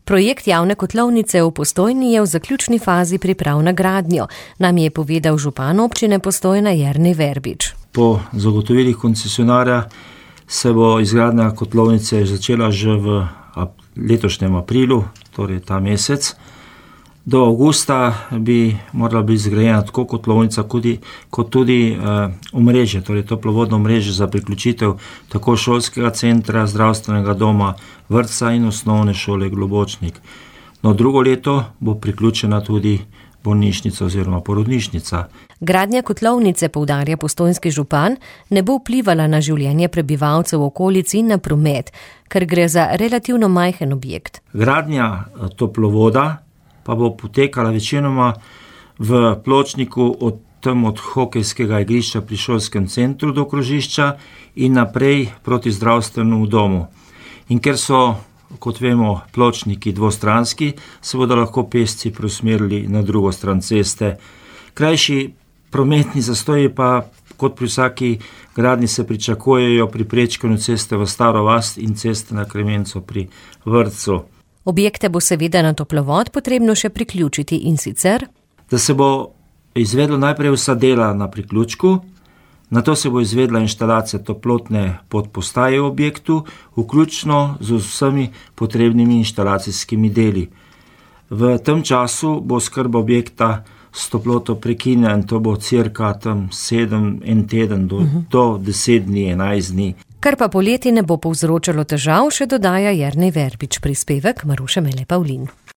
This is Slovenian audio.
Projekt javne kotlovnice v Postojni je v zaključni fazi priprav na gradnjo, nam je povedal župan občine Postojna Jernej Verbič. Po zagotovilih koncesionarja se bo izgradnja kotlovnice začela že v letošnjem aprilu, torej ta mesec. Do avgusta bi morala biti zgrajena tako kotlovnica, kot tudi omrežje, torej toplovodno omrežje za priključitev tako šolskega centra, zdravstvenega doma, vrtca in osnovne šole Globočnik. No, drugo leto bo priključena tudi bolnišnica oziroma porodnišnica. Gradnja kotlovnice, poudarja postojnski župan, ne bo vplivala na življenje prebivalcev v okolici in na promet, ker gre za relativno majhen objekt. Gradnja toplovoda pa bo potekala večinoma v pločniku od hokejskega igrišča pri šolskem centru do krožišča in naprej proti zdravstvenemu domu. In ker so, kot vemo, pločniki dvostranski, se bodo lahko pešci preusmerili na drugo stran ceste. Krajši prometni zastoji pa, kot pri vsaki gradnji, se pričakujejo pri prečkanju ceste v Staro vas in ceste na Kremenco pri vrtcu. Objekte bo seveda na toplovod potrebno še priključiti in sicer, da se bo izvedlo najprej vsa dela na priključku, nato se bo izvedla inštalacija toplotne podpostaje v objektu, vključno z vsemi potrebnimi inštalacijskimi deli. V tem času bo oskrba objekta s toploto prekinjena in to bo cirka 7 teden do 10 dni, 11 dni. Kar pa poleti ne bo povzročalo težav, še dodaja Jernej Verbič, prispevek Maruše Mele Pavlin.